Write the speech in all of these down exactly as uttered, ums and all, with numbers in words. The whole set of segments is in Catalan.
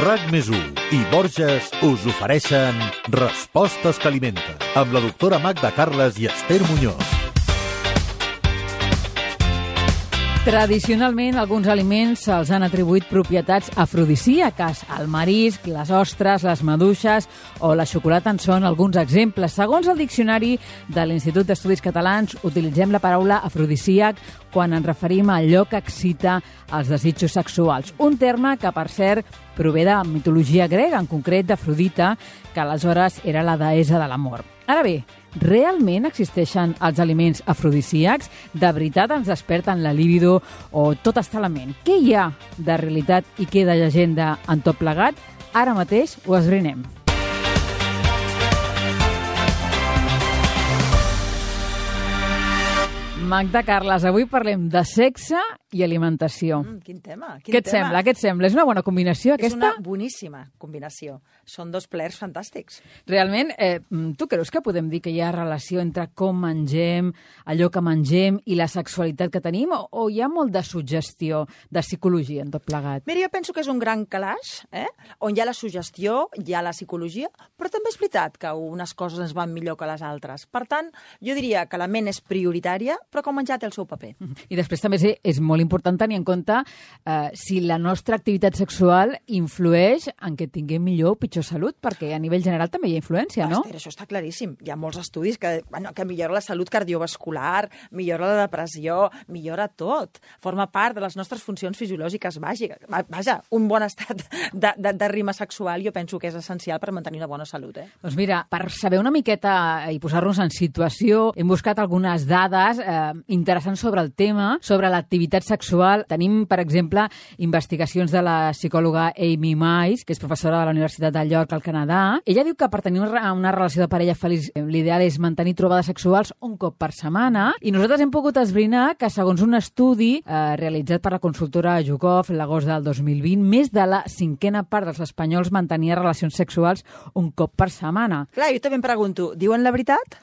RAC més u i Borges us ofereixen Respostes que alimenten, amb la doctora Magda Carles i Esther Muñoz. Tradicionalment, alguns aliments se'ls han atribuït propietats afrodisíaques. El marisc, les ostres, les maduixes o la xocolata en són alguns exemples. Segons el diccionari de l'Institut d'Estudis Catalans, utilitzem la paraula afrodisíac quan ens referim a allò que excita els desitjos sexuals. Un terme que, per cert, prové de mitologia grega, en concret d'Afrodita, que aleshores era la deessa de l'amor. Ara bé, realment existeixen els aliments afrodisíacs? De veritat ens desperten la libido o tot està a la ment? Què hi ha de realitat i què de llegenda en tot plegat? Ara mateix ho esbrinem. Magda Carles, avui parlem de sexe i alimentació. Mm, quin tema, quin Què et tema. sembla? Què et sembla? És una bona combinació, aquesta? És una boníssima combinació. Són dos plers fantàstics. Realment, eh, tu creus que podem dir que hi ha relació entre com mengem, allò que mengem i la sexualitat que tenim, o, o hi ha molt de suggestió, de psicologia en tot plegat? Mira, jo penso que és un gran calaix, eh? On hi ha la suggestió, hi ha la psicologia, però també és veritat que unes coses ens van millor que les altres. Per tant, jo diria que la ment és prioritària, però que el menjar té el seu paper. I després també és, és molt important tenir en compte eh, si la nostra activitat sexual influeix en que tinguem millor o pitjor salut, perquè a nivell general també hi ha influència, no? Esther, això està claríssim. Hi ha molts estudis que, bueno, que millora la salut cardiovascular, millora la depressió, millora tot. Forma part de les nostres funcions fisiològiques bàsiques. Vaja, un bon estat de, de, de rima sexual jo penso que és essencial per mantenir una bona salut. Eh? Doncs mira, per saber una miqueta i posar-nos en situació, hem buscat algunes dades eh, interessants sobre el tema, sobre l'activitat sexual. Tenim, per exemple, investigacions de la psicòloga Amy Mais, que és professora de la Universitat de York, al Canadà. Ella diu que per tenir una relació de parella feliç l'ideal és mantenir trobades sexuals un cop per setmana, i nosaltres hem pogut esbrinar que, segons un estudi eh, realitzat per la consultora YouGov l'agost del dos mil vint, més de la cinquena part dels espanyols mantenia relacions sexuals un cop per setmana. Clar, jo també em pregunto, diuen la veritat?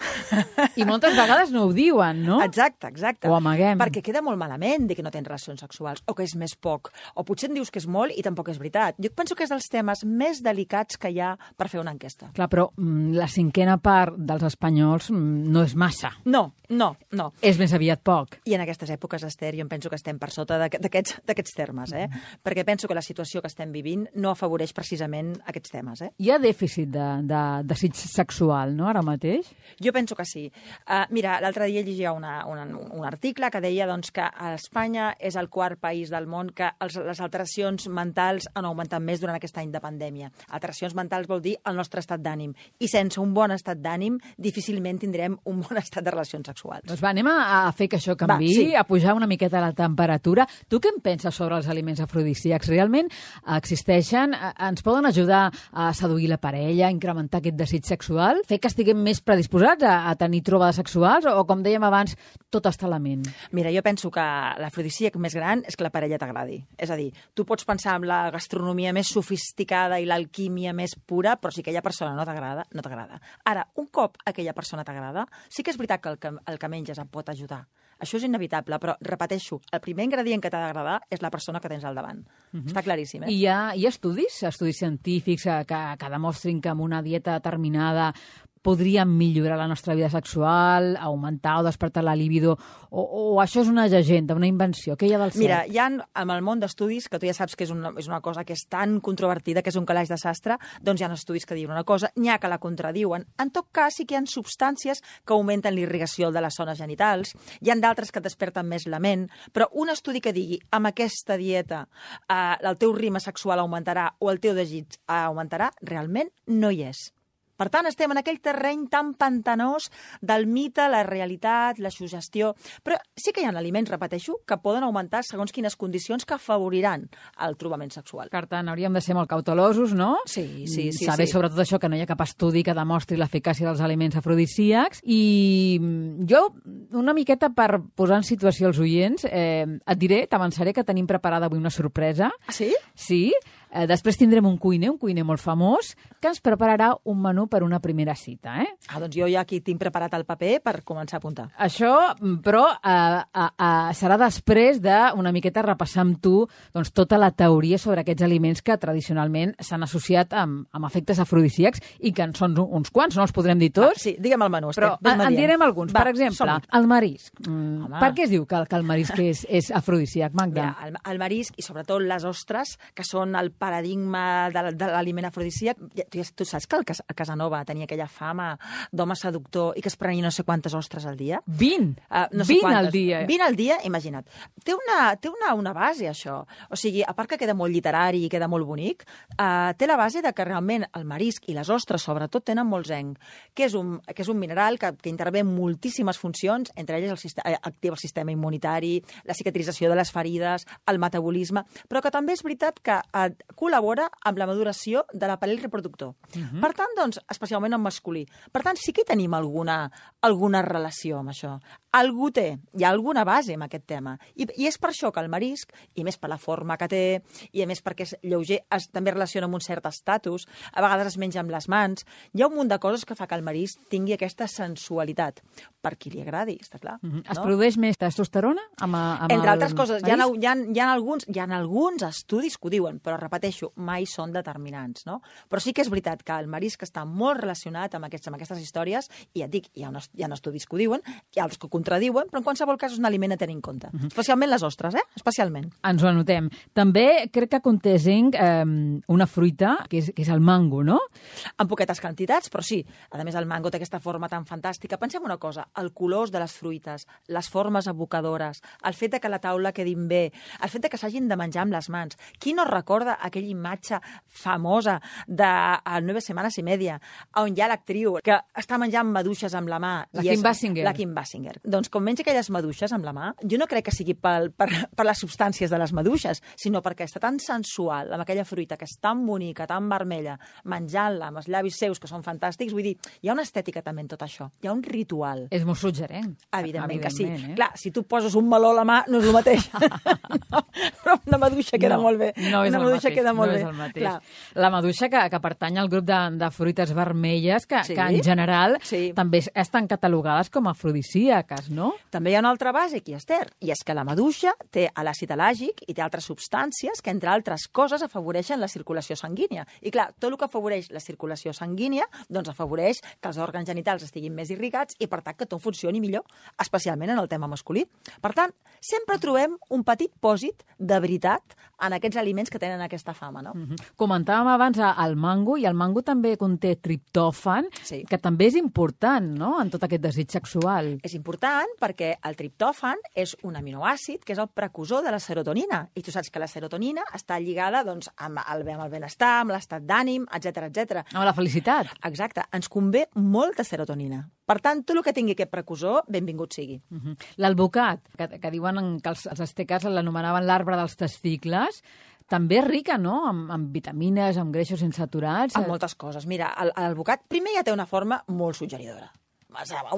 I moltes vegades no ho diuen, no? Exacte, exacte. O amaguem. Perquè queda molt malament dir que no tens relacions sexuals, o que és més poc, o potser em dius que és molt i tampoc és veritat. Jo penso que és dels temes més delicats que hi ha per fer una enquesta. Clar, però mm, la cinquena part dels espanyols mm, no és massa. No, no, no. És més aviat poc. I en aquestes èpoques, Esther, jo em penso que estem per sota d'aquests termes, eh? Mm. Perquè penso que la situació que estem vivint no afavoreix precisament aquests temes, eh? Hi ha dèficit de, de desig sexual, no?, ara mateix? Jo penso que sí. Uh, mira, l'altre dia llegia una, una, un article que deia doncs, que a Espanya és el quart país del món que els, les alteracions mentals han augmentat més durant aquest any de pandèmia. Alteracions mentals vol dir el nostre estat d'ànim. I sense un bon estat d'ànim, difícilment tindrem un bon estat de relacions sexuals. Doncs va, anem a, a fer que això canviï, Va, sí. a pujar una miqueta la temperatura. Tu què en penses sobre els aliments afrodisíacs? Realment existeixen? Ens poden ajudar a seduir la parella, a incrementar aquest desig sexual? Fer que estiguem més predisposats a, a tenir trobades sexuals? O, com dèiem abans, tot està a la ment? Mira, jo penso que l'afrodisíac més gran és que la parella t'agradi. És a dir, tu pots pensar en la gastronomia més sofisticada i l'alquímia més pura, però si aquella persona no t'agrada, no t'agrada. Ara, un cop aquella persona t'agrada, sí que és veritat que el que, el que menges et pot ajudar. Això és inevitable, però, repeteixo, el primer ingredient que t'ha d'agradar és la persona que tens al davant. Mm-hmm. Està claríssim, eh? I hi ha, hi ha estudis, estudis científics que, que demostrin que amb una dieta determinada podríem millorar la nostra vida sexual, augmentar o despertar la libido, o, o això és una llegenda, una invenció? Què hi ha del cert? Mira, hi ha amb el món d'estudis, que tu ja saps que és una, és una cosa que és tan controvertida, que és un calaix de sastre, doncs hi ha estudis que diuen una cosa, n'hi ha que la contradiuen. En tot cas, sí que hi ha substàncies que augmenten l'irrigació de les zones genitals, hi ha d'altres que desperten més la ment, però un estudi que digui amb aquesta dieta eh, el teu ritme sexual augmentarà o el teu desig augmentarà, realment no hi és. Per tant, estem en aquell terreny tan pantanós del mite, la realitat, la suggestió. Però sí que hi ha aliments, repeteixo, que poden augmentar segons quines condicions que afavoriran el trobament sexual. Per tant, hauríem de ser molt cautelosos, no? Sí, sí, sí. Saber sí. sobretot això, que no hi ha cap estudi que demostri l'eficàcia dels aliments afrodisíacs. I jo, una miqueta per posar en situació els oients, eh, et diré, t'avançaré que tenim preparada avui una sorpresa. Ah, sí? Sí. Eh, després tindrem un cuiner, un cuiner molt famós, que ens prepararà un menú per una primera cita. Eh? Ah, doncs jo ja aquí tinc preparat el paper per començar a apuntar. Això, però, eh, eh, eh, serà després d'una miqueta repassar amb tu doncs, tota la teoria sobre aquests aliments que tradicionalment s'han associat amb, amb efectes afrodisíacs i que en són uns quants, no els podrem dir tots. Va, sí, digue'm el menú, Esther. Però en, en direm alguns. Va, per exemple, el marisc. Mm, Home. per què es diu que, que el marisc és, és afrodisíac, Magda? Mira, el, el marisc i sobretot les ostres, que són el paradigma de, de l'aliment afrodisíac. Tu, tu saps que el Cas, Casanova tenia aquella fama d'home seductor i que es prenia no sé quantes ostres al dia? vint! Uh, no sé vint quantes. al dia. vint al dia, imagina't. Té una, té una, una base, això. O sigui, a part que queda molt literari i queda molt bonic, uh, té la base de que realment el marisc i les ostres, sobretot, tenen molt zenc, que és un, que és un mineral que, que intervé en moltíssimes funcions, entre elles el sistema, activa el sistema immunitari, la cicatrització de les ferides, el metabolisme, però que també és veritat que eh, col·labora amb la maduració de l'aparell reproductor. Uh-huh. Per tant, doncs, especialment en masculí. Per tant, sí que hi tenim alguna, alguna relació amb això. Algú té, hi ha alguna base amb aquest tema. I, I és per això que el marisc, i més per la forma que té, i a més perquè és lleuger, es, també relaciona amb un cert estatus, a vegades es menja amb les mans, hi ha un munt de coses que fa que el marisc tingui aquesta sensualitat. Per qui li agradi, està clar. Uh-huh. No? Es produeix més testosterona? Amb, amb Entre altres coses, hi ha, marisc? hi, ha, hi, ha alguns, hi ha alguns estudis que ho diuen, però repeteixo, mai són determinants, no? Però sí que és veritat que el marisc està molt relacionat amb, aquests, amb aquestes històries, i ja et dic, hi ha, unes, hi ha estudis que ho diuen, hi ha altres que ho contradiuen, però en qualsevol cas és un aliment a tenir en compte. Uh-huh. Especialment les ostres, eh? Especialment. Ens ho anotem. També crec que conté zinc, eh, una fruita, que és, que és el mango, no? En poquetes quantitats, però sí. A més, el mango té aquesta forma tan fantàstica. Pensem una cosa, el colors de les fruites, les formes evocadores, el fet de que la taula quedin bé, el fet de que s'hagin de menjar amb les mans. Qui no recorda aquella imatge famosa de Nueve Semanas y Media, on hi ha l'actriu que està menjant maduixes amb la mà? La i Kim és, Basinger. La Kim Basinger. Doncs com menja aquelles maduixes amb la mà, jo no crec que sigui per, per, per les substàncies de les maduixes, sinó perquè està tan sensual, amb aquella fruita que és tan bonica, tan vermella, menjant-la amb els llavis seus, que són fantàstics. Vull dir, hi ha una estètica també en tot això. Hi ha un ritual. És molt suggerent. Evidentment, Evidentment que sí. Eh? Clar, si tu poses un meló a la mà, no és el mateix. no, però una maduixa queda no, molt bé. No és una el maduixa mateix. queda molt no bé. És el mateix. Clar. La maduixa que, que pertany al grup de, de fruites vermelles, que, Sí. que en general Sí. també estan catalogades com afrodisíaques, no? També hi ha una altra base aquí, Esther, i és que la maduixa té l'àcid elàgic i té altres substàncies que, entre altres coses, afavoreixen la circulació sanguínia. I clar, tot el que afavoreix la circulació sanguínia, doncs afavoreix que els òrgans genitals estiguin més irrigats i, per tant, que tot funcioni millor, especialment en el tema masculí. Per tant, sempre trobem un petit pòsit de veritat en aquests aliments que tenen aquesta fama, no? Mm-hmm. Comentàvem abans el mango, i el mango també conté triptòfan, Sí. que també és important, no?, en tot aquest desig sexual. És important perquè el triptòfan és un aminoàcid que és el precursor de la serotonina. I tu saps que la serotonina està lligada doncs, amb, el, amb el benestar, amb l'estat d'ànim, etcètera, etcètera. Amb la felicitat. Exacte. Ens convé molta serotonina. Per tant, tot el que tingui aquest precursor, benvingut sigui. Uh-huh. L'alvocat, que, que diuen que els, els asteques l'anomenaven l'arbre dels testicles, també és rica, no?, amb, amb vitamines, amb greixos insaturats. Amb moltes coses. Mira, l'alvocat primer ja té una forma molt suggeridora.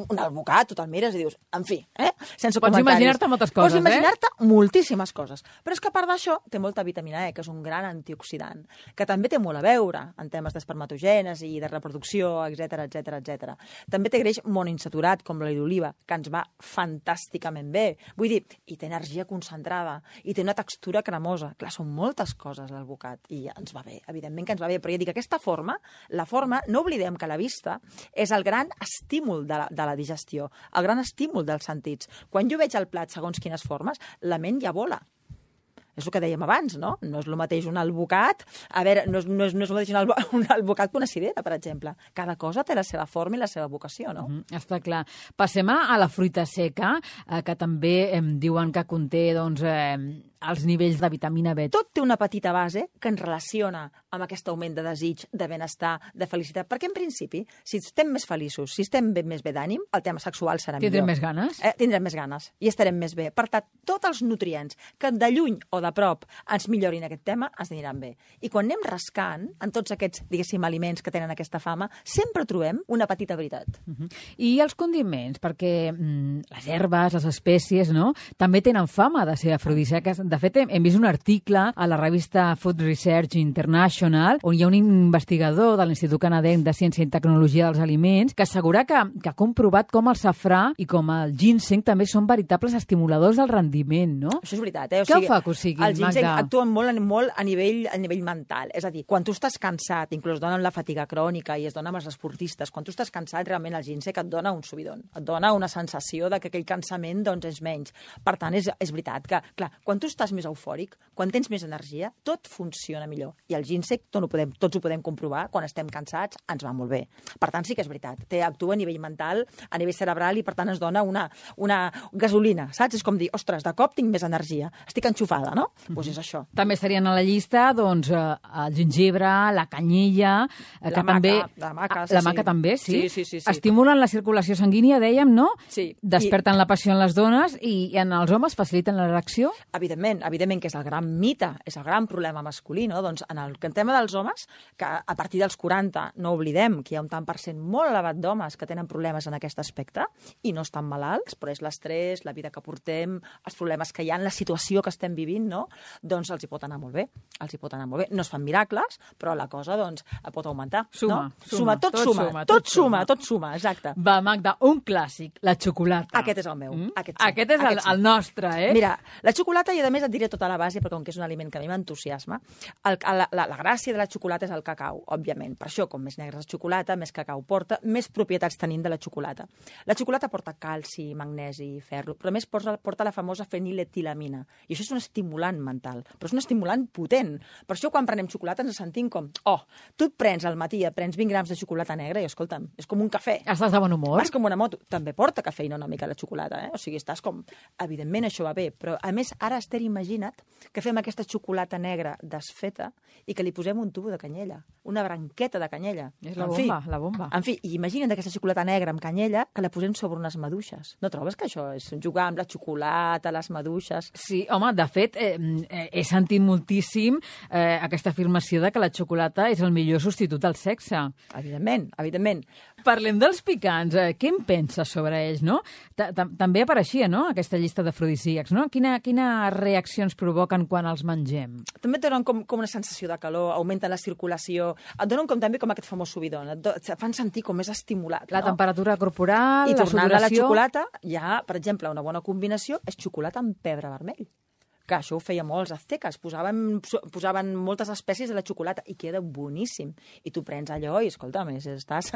Un alvocat, tu te'l mires i dius, en fi, eh? Sense Pots comentaris. imaginar-te moltes coses, Pots imaginar-te eh? moltíssimes coses. Però és que a part d'això té molta vitamina E, que és un gran antioxidant, que també té molt a veure en temes d'espermatogènesi i de reproducció, etcètera, etcètera, etcètera. També té greix monoinsaturat, com l'oli d'oliva, que ens va fantàsticament bé. Vull dir, i té energia concentrada, i té una textura cremosa. Clar, són moltes coses l'alvocat, i ens va bé, evidentment que ens va bé. Però ja dic, aquesta forma, la forma, no oblidem que la vista és el gran estímul de la, de la digestió, el gran estímul dels sentits. Quan jo veig el plat segons quines formes, la ment ja vola. És el que dèiem abans, no? No és el mateix un alvocat... A veure, no és, no és, no és el mateix un, alvo, un alvocat que una cirera, per exemple. Cada cosa té la seva forma i la seva vocació, no? Mm, està clar. Passem a la fruita seca, eh, que també eh, diuen que conté doncs, eh, els nivells de vitamina B. Tot té una petita base que ens relaciona amb aquest augment de desig, de benestar, de felicitat. Perquè, en principi, si estem més feliços, si estem bé, més bé d'ànim, el tema sexual serà Tindrem millor. més ganes? Eh, tindrem més ganes i estarem més bé. Per tant, tots els nutrients que de lluny o de prop ens millorin aquest tema, ens aniran bé. I quan anem rascant en tots aquests, diguéssim, aliments que tenen aquesta fama, sempre trobem una petita veritat. Uh-huh. I els condiments, perquè mm, les herbes, les espècies, no?, també tenen fama de ser afrodisíaques. De fet, hem, hem vist un article a la revista Food Research International on hi ha un investigador de l'Institut Canadenc de Ciència i Tecnologia dels Aliments que assegura que, que ha comprovat com el safrà i com el ginseng també són veritables estimuladors del rendiment, no? Això és veritat, eh? O Què sigui, fa que ho sigui, el ginseng Magda? actua molt, molt a, nivell, a nivell mental. És a dir, quan tu estàs cansat, inclús dona amb la fatiga crònica i es dona amb els esportistes, quan tu estàs cansat, realment el ginseng et dona un subidon, et dona una sensació de que aquell cansament doncs, és menys. Per tant, és, és veritat que, clar, quan tu estàs més eufòric, quan tens més energia, tot funciona millor. I el ginseng, tot ho podem, tots ho podem comprovar, quan estem cansats, ens va molt bé. Per tant, sí que és veritat. Té, actua a nivell mental, a nivell cerebral, i per tant ens dona una, una gasolina, saps? És com dir, ostres, de cop tinc més energia, estic enxufada, no? Doncs mm-hmm. pues és això. També estarien a la llista, doncs, el gingebre, la canyella, la que maca, també... La maca, sí, la maca sí. també, sí? Sí, sí, sí, sí. Estimulen la circulació sanguínia, dèiem, no? Sí. Desperten I... la passió en les dones i, i en els homes faciliten l'erecció? Evidentment, evidentment que és el gran mite, és el gran problema masculí, no? Doncs en el tema dels homes, que a partir dels quaranta no oblidem que hi ha un tant per cent molt elevat d'homes que tenen problemes en aquest aspecte i no estan malalts, però és l'estrès, la vida que portem, els problemes que hi ha en la situació que estem vivint, no? Doncs els hi pot anar molt bé, els hi pot anar molt bé. No es fan miracles, però la cosa, doncs, pot augmentar. Suma, no? suma, suma, tot, tot suma, suma, tot, tot suma, suma, tot suma, exacte. Va, Magda, un clàssic, la xocolata. Aquest és el meu. Mm? Aquest, sí. Aquest és Aquest el, sí. el nostre, eh? Mira, la xocolata, i a més et diré tota la base, perquè com que és un aliment que a mi m'entusiasma, el, la, la, la gràcia de la xocolata és el cacau, òbviament. Per això, com més negra és la xocolata, més cacau porta, més propietats tenim de la xocolata. La xocolata porta calci, magnesi, ferro, però a més porta, porta la famosa feniletilamina. I això és un estimulant mental, però és un estimulant potent. Per això, quan prenem xocolata, ens sentim com, oh, tu et prens al matí, et prens vint grams de xocolata negra i, escolta'm, és com un cafè. Estàs de bon humor? Vas com una moto. També porta cafeïna una mica la xocolata, eh? O sigui, estàs com... Evidentment, això va bé, però, a més, ara, Esther, imagina't que fem aquesta xocolata negra desfeta i que li posem un tubo de canyella, una branqueta de canyella. És la en bomba, fi, la bomba. En fi, i imagina't aquesta xocolata negra amb canyella que la posem sobre unes maduixes. No trobes que això és jugar amb la xocolata, les maduixes? Sí, home, de fet, eh, eh, he sentit moltíssim eh, aquesta afirmació de que la xocolata és el millor substitut del sexe. Evidentment, evidentment. Parlem dels picants. Eh, què en penses sobre ells, no? També apareixia, no?, aquesta llista d'afrodisíacs, no? Quina, quines reaccions provoquen quan els mengem? També et donen com, com una sensació de calor, augmenten la circulació, et donen com també com aquest famós subidon, et, do, et fan sentir com més estimulat. La no? temperatura corporal, I la tornant a la sudoració... xocolata, ja, per exemple, una bona combinació és xocolata amb pebre vermell. Que això ho feia molts azteques, posaven, posaven moltes espècies de la xocolata i queda boníssim. I tu prens allò i, escolta, més estàs,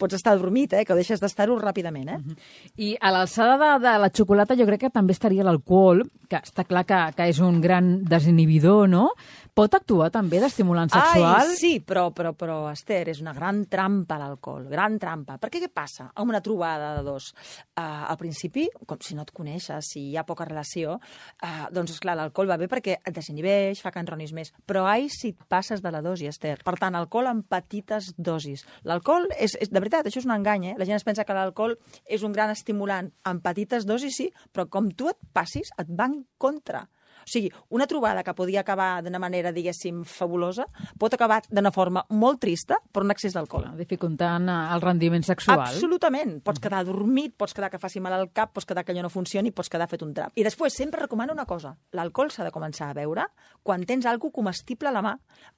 pots estar dormit, eh, que deixes d'estar-ho ràpidament. Eh? Uh-huh. I a l'alçada de, de la xocolata jo crec que també estaria l'alcohol, que està clar que, que és un gran desinhibidor, no? Pot actuar també d'estimulant sexual? Ai, sí, però, però, però, Esther, és una gran trampa l'alcohol, gran trampa. Perquè què passa amb una trobada de dos? Uh, al principi, com si no et coneixes, si hi ha poca relació, uh, doncs, esclar, l'alcohol va bé perquè et desinhibeix, fa que enronis més. Però ai, si et passes de la dosi, Esther. Per tant, alcohol en petites dosis. L'alcohol, és, és, de veritat, això és un engany, eh? La gent es pensa que l'alcohol és un gran estimulant. En petites dosis, sí, però com tu et passis, et va en contra. O sigui, una trobada que podia acabar d'una manera, diguéssim, fabulosa, pot acabar d'una forma molt trista per un excés d'alcohol. Dificultant el rendiment sexual. Absolutament. Pots quedar dormit, pots quedar que faci mal al cap, pots quedar que allò no funcioni, pots quedar fet un drap. I després sempre recomano una cosa. L'alcohol s'ha de començar a beure quan tens alguna comestible a la mà.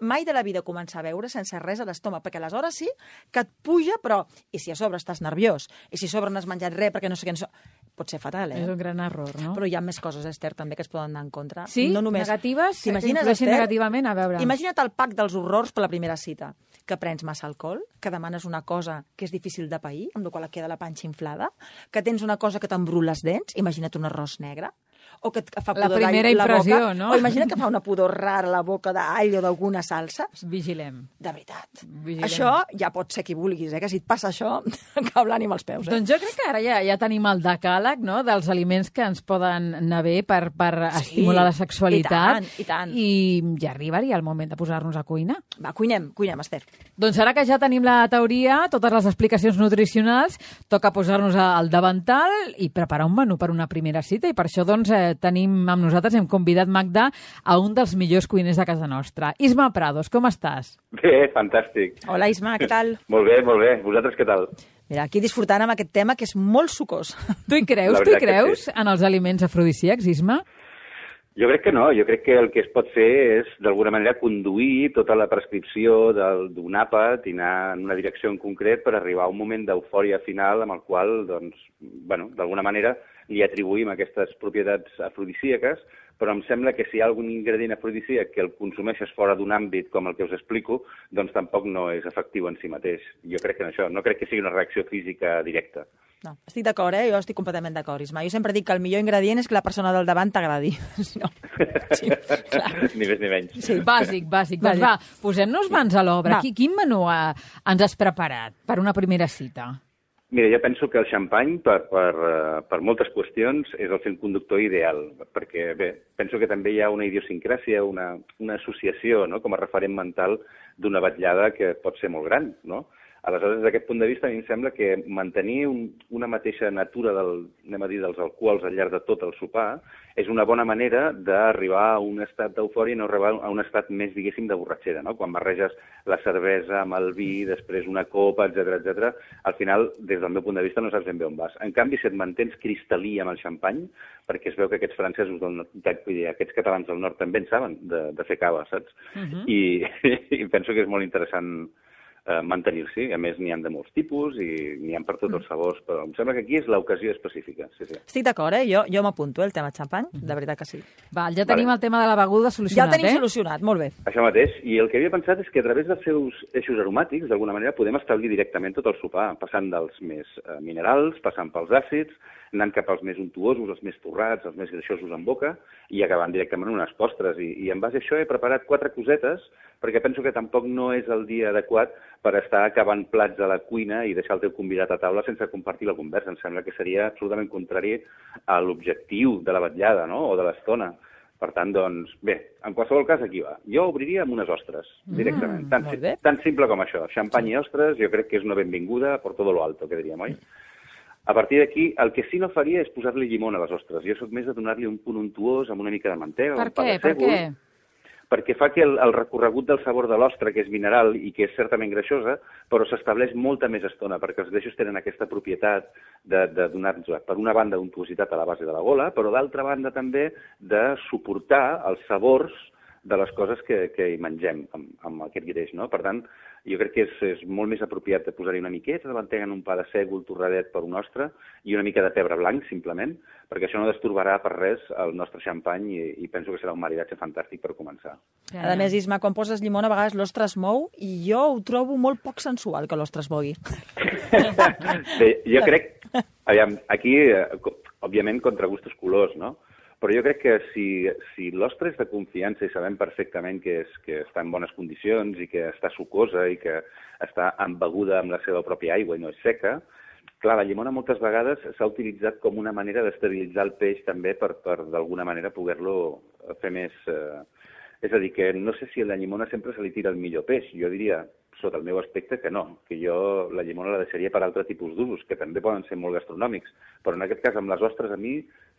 Mai de la vida començar a beure sense res a l'estómac, perquè aleshores sí que et puja, però... I si a sobre estàs nerviós? I si a sobre no has menjat res perquè no sé què... No sé... Pot ser fatal, eh? És un gran error, no? Però hi ha més coses, Esther, també que es poden anar en contra. Sí? No només... Negatives? T'imagines, influeixen Esther? negativament? A veure... Imagina't el pack dels horrors per la primera cita. Que prens massa alcohol, que demanes una cosa que és difícil de pair, amb la qual et queda la panxa inflada, que tens una cosa que t'embrut les dents, imagina't un arròs negre, o que et fa la pudor primera la impressió, boca, no? O imagina't que fa una pudor rara la boca d'all o d'alguna salsa. Vigilem. De veritat. Vigilem. Això ja pot ser qui vulguis, eh? Que si et passa això, cau l'ànim als peus. Eh? Doncs jo crec que ara ja, ja tenim el decàleg, no?, dels aliments que ens poden anar bé per, per sí, estimular la sexualitat. I tant, i tant. I ja arribaria el moment de posar-nos a cuinar. Va, cuinem, cuinem, Esther. Doncs ara que ja tenim la teoria, totes les explicacions nutricionals, toca posar-nos al davantal i preparar un menú per una primera cita. I per això, doncs, eh, tenim amb nosaltres, hem convidat Magda a un dels millors cuiners de casa nostra. Isma Prados, com estàs? Bé, fantàstic. Hola, Isma, què tal? Molt bé, molt bé. Vosaltres què tal? Mira, aquí disfrutant amb aquest tema que és molt sucós. Tu hi creus, tu hi creus sí. en els aliments afrodisíacs, Isma? Jo crec que no, jo crec que el que es pot fer és, d'alguna manera, conduir tota la prescripció del- d'un àpat i anar en una direcció en concret per arribar a un moment d'eufòria final amb el qual, doncs, bueno, d'alguna manera li atribuïm aquestes propietats afrodisíaques, però em sembla que si hi ha algun ingredient afrodisíac que el consumeixes fora d'un àmbit com el que us explico, doncs tampoc no és efectiu en si mateix. Jo crec que en això, no crec que sigui una reacció física directa. No, estic d'acord, eh? Jo estic completament d'acord, Isma. Jo sempre dic que el millor ingredient és que la persona del davant t'agradi. No. Sí, clar. Ni més ni menys. Sí. Bàsic, bàsic. Doncs Bàsic. va, posem-nos mans a l'obra. Va. Qui- Quin menú eh, ens has preparat per una primera cita? Mira, jo penso que el xampany, per, per, eh, per moltes qüestions, és el fil conductor ideal, perquè, bé, penso que també hi ha una idiosincràsia, una, una associació, no?, com a referent mental d'una vetllada que pot ser molt gran, no? Aleshores, des d'aquest punt de vista, a mi em sembla que mantenir un, una mateixa natura del, anem a dir, dels alcohols al llarg de tot el sopar és una bona manera d'arribar a un estat d'eufòria i no arribar a un estat més, diguéssim, de borratxera, no? Quan barreges la cervesa amb el vi, després una copa, etcètera, etcètera, al final, des del meu punt de vista, no saps ben bé on vas. En canvi, si et mantens cristal·lí amb el xampany, perquè es veu que aquests francesos del nord, vull dir, aquests catalans del nord també en saben de, de fer cava, saps? Mhm. I, I penso que és molt interessant eh, mantenir-s'hi. A més, n'hi ha de molts tipus i n'hi ha per tots els sabors, però em sembla que aquí és l'ocasió específica. Sí, sí. Estic d'acord, eh? Jo, jo m'apunto, eh, el tema xampany, de veritat que sí. Val, ja tenim Vale. el tema de la beguda Ja solucionat, el tenim eh? solucionat, molt bé. Això mateix. I el que havia pensat és que a través dels seus eixos aromàtics, d'alguna manera, podem establir directament tot el sopar, passant dels més eh, minerals, passant pels àcids, anant cap als més untuosos, els més torrats, els més greixosos en boca, i acabant directament en unes postres. I, i en base a això he preparat quatre cosetes, perquè penso que tampoc no és el dia adequat per estar acabant plats a la cuina i deixar el teu convidat a taula sense compartir la conversa. Em sembla que seria absolutament contrari a l'objectiu de la vetllada, no?, o de l'estona. Per tant, doncs, bé, en qualsevol cas, aquí va. Jo obriria amb unes ostres, directament. Mm, tan, molt bé. tan simple com això. Xampany i ostres, jo crec que és una benvinguda per todo lo alto, que diríem, oi? A partir d'aquí, el que sí no faria és posar-li llimona a les ostres. Jo sóc més de donar-li un punt untuós amb una mica de mantega. Per un pa què? de Per sègol, què? perquè fa que el, el recorregut del sabor de l'ostra, que és mineral i que és certament greixosa, però s'estableix molta més estona, perquè els greixos tenen aquesta propietat de, de donar-nos, per una banda, untuositat a la base de la gola, però d'altra banda també de suportar els sabors de les coses que, que hi mengem amb, amb aquest greix, no? Per tant, jo crec que és, és molt més apropiat de posar-hi una miqueta de mantega en un pa de sègol torradet per un ostre i una mica de pebre blanc, simplement, perquè això no destorbarà per res el nostre xampany i, i penso que serà un maridatge fantàstic per començar. A més, Isma, quan poses llimona, a vegades l'ostre es mou i jo ho trobo molt poc sensual que l'ostre es mogui. Bé, jo crec... Aviam, aquí, eh, co- òbviament, contra gustos colors, no? Però jo crec que si, si l'ostre és de confiança i sabem perfectament que, és, que està en bones condicions i que està sucosa i que està embeguda amb la seva pròpia aigua i no és seca, clar, la llimona moltes vegades s'ha utilitzat com una manera d'estabilitzar el peix també per, per d'alguna manera poder-lo fer més... Eh... És a dir, que no sé si a la llimona sempre se li tira el millor peix. Jo diria, sota el meu aspecte, que no, que jo la llimona la deixaria per altre tipus d'usos, que també poden ser molt gastronòmics, però en aquest cas amb les ostres a mi,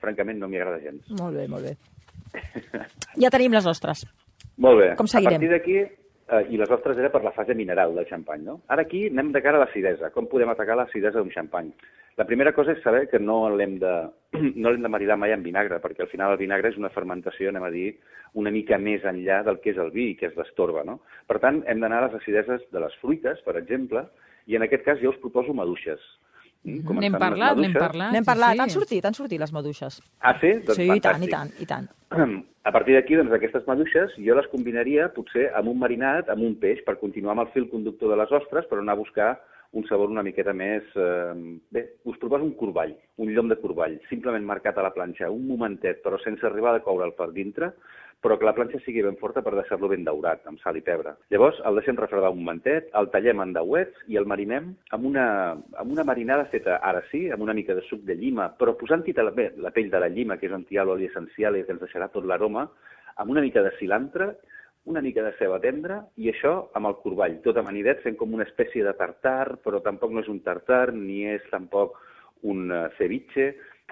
francament, no m'hi agrada gens. Molt bé, molt bé. Ja tenim les ostres. Molt bé. Com seguirem? A partir d'aquí, eh, i les ostres era per la fase mineral del xampany, no? Ara aquí anem de cara a l'acidesa. Com podem atacar l'acidesa d'un xampany? La primera cosa és saber que no l'hem de, no l'hem de maridar mai amb vinagre, perquè al final el vinagre és una fermentació, anem a dir, una mica més enllà del que és el vi, que és l'estorba, no? Per tant, hem d'anar a les acideses de les fruites, per exemple, i en aquest cas jo us proposo maduixes. Mm, com N'hem estan les parlat, n'hem maduixes? parlat. N'hem sí, parlat, sí. han sortit, han sortit les maduixes. Ah, sí? Doncs Sí, i tant, i fantàstic. tant, i tant. A partir d'aquí, doncs, aquestes maduixes jo les combinaria potser amb un marinat, amb un peix, per continuar amb el fil conductor de les ostres, però anar a buscar un sabor una miqueta més... Eh, bé, us proposo un corball, un llom de corball, simplement marcat a la planxa, un momentet, però sense arribar a coure'l per dintre, però que la planxa sigui ben forta per deixar-lo ben daurat, amb sal i pebre. Llavors, el deixem refredar un momentet, el tallem en dauets i el marinem amb una, amb una marinada feta, ara sí, amb una mica de suc de llima, però posant-hi la, bé, la pell de la llima, que és on hi ha l'oli essencial i que ens deixarà tot l'aroma, amb una mica de cilantre, una mica de ceba tendra, i això amb el corball, tot amanidet, fent com una espècie de tartar, però tampoc no és un tartar, ni és tampoc un uh, ceviche.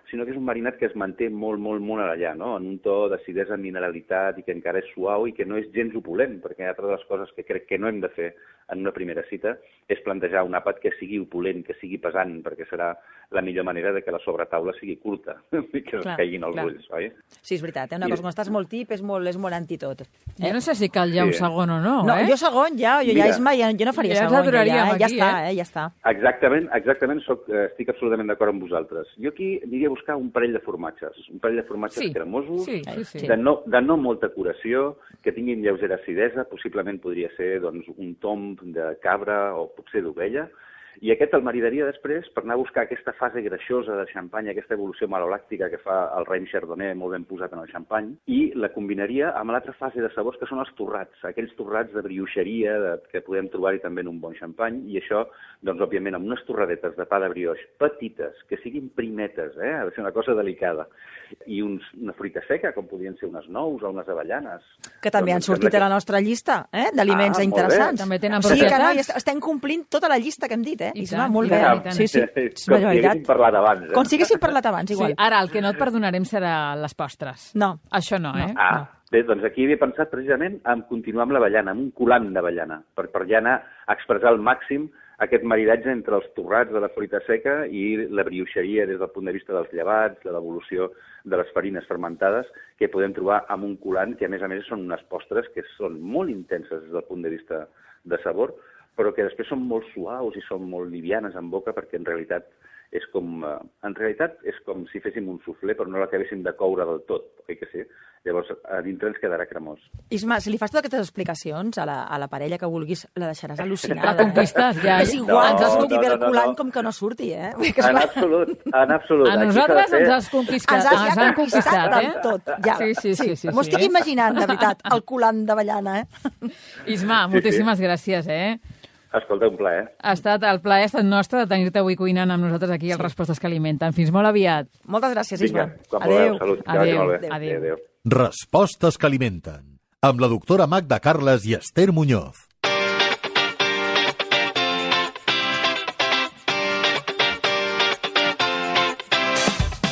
sinó que és un marinat que es manté molt, molt, molt allà, no? En un to d'acidesa, mineralitat, i que encara és suau i que no és gens opulent, perquè altra de les coses que crec que no hem de fer en una primera cita és plantejar un àpat que sigui opulent, que sigui pesant, perquè serà la millor manera de que la sobretaula sigui curta i que es caiguin els clar. ulls, oi? Sí, és veritat, eh? Una cosa, quan estàs molt tip és molt, és molt antitot. Eh? Jo no sé si cal ja Sí. un segon o no, No, eh? jo segon ja, jo Mira. ja, Isma, ja, jo no faria Ja ens segon. aturaríem ja, ja aquí, està, eh? eh? Ja està. Exactament, exactament, soc, eh, estic absolutament d'acord amb vosaltres. Jo aquí aniria a buscar un parell de formatges, un parell de formatges Sí, cremosos, sí, sí, sí. De, no, de no molta curació, que tinguin lleugera acidesa, possiblement podria ser doncs, un tomb de cabra o potser d'ovella, i aquest el maridaria després per anar a buscar aquesta fase greixosa de xampany, aquesta evolució malolàctica que fa el raïm chardonnay molt ben posat en el xampany, i la combinaria amb l'altra fase de sabors que són els torrats, aquells torrats de brioixeria de, que podem trobar-hi també en un bon xampany, i això, doncs, òbviament, amb unes torradetes de pa de brioix petites, que siguin primetes, eh? Ha de ser una cosa delicada, i uns, una fruita seca, com podrien ser unes nous o unes avellanes. Que també han Doncs em sortit sembla a la nostra llista, eh? D'aliments Ah, molt interessants. bé. També tenen Sí, propietats. carai, est- estem complint tota la llista que hem dit, eh? I Isma, tant, molt i bé. tant, i tant. Sí, sí, Com és si una haguéssim veritat. parlat abans, eh? Com si haguéssim parlat abans, Sí, igual. ara el que no et perdonarem serà les postres. No. Això no, eh? Ah, bé, doncs aquí havia pensat precisament en continuar amb l'avellana, amb un colant d'avellana, per, per ja anar a expressar al màxim aquest maridatge entre els torrats de la fruita seca i la brioixeria des del punt de vista dels llevats, de l'evolució de les farines fermentades, que podem trobar amb un colant que, a més a més, són unes postres que són molt intenses des del punt de vista de sabor, però que després són molt suaus i són molt livianes en boca, perquè en realitat és com, eh, en realitat és com si féssim un suflé, però no l'acabéssim de coure del tot, oi que sí? Llavors, a dintre ens quedarà cremós. Isma, si li fas totes aquestes explicacions a la, a la parella que vulguis, la deixaràs al·lucinada. La conquistes, ja. És igual, ens No, has sortit no, bé no, el no, colant no. com que no surti, eh? Vull dir que, En esclar, absolut, en absolut. A Aquí nosaltres s'ha de ens fer- has conquistat. ens has Ens ja han conquistat, amb eh? tot. Ja. Sí, sí, sí. sí, M'ho sí. estic imaginant, de veritat, el colant d'avellana, eh? Isma, moltíssimes gràcies, eh? Escolta, un plaer. Ha estat el plaer ha estat nostre de tenir-te avui cuinant amb nosaltres aquí al Respostes que Alimenten. Fins molt aviat. Moltes gràcies, Isma. Vinga, quan vulgueu, salut. Que vagi Adéu. molt bé. Adéu. Adéu. Respostes que alimenten. Amb la doctora Magda Carles i Esther Muñoz.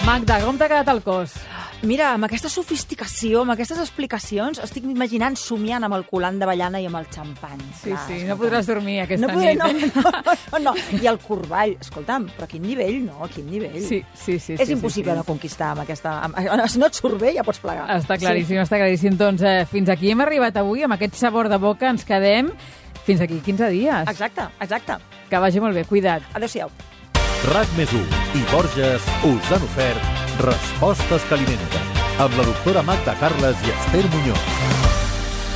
Magda, com t'ha quedat el cos? Mira, amb aquesta sofisticació, amb aquestes explicacions, estic imaginant somiant amb el colant d'avellana i amb el xampany. Sí, Clar, sí, escolta'm. no podràs dormir aquesta no podré, nit. no, eh? no, no, no, i el corball. Escolta'm, però a quin nivell, no? A quin nivell? Sí, sí, sí. És sí, impossible sí, no conquistar amb aquesta... Amb, si no et surt bé, ja pots plegar. Està claríssim, està claríssim. Doncs eh, fins aquí hem arribat avui, amb aquest sabor de boca ens quedem fins aquí quinze dies. Exacte, exacte. Que vagi molt bé, cuida't. Adéu-siau. RAC més u i Borges us han ofert Respostes que alimenten amb la doctora Magda Carles i Esther Muñoz.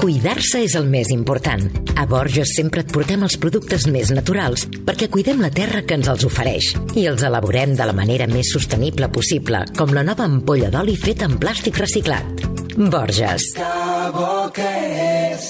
Cuidar-se és el més important. A Borges sempre et portem els productes més naturals perquè cuidem la terra que ens els ofereix i els elaborem de la manera més sostenible possible, com la nova ampolla d'oli feta en plàstic reciclat. Borges. Que bo que és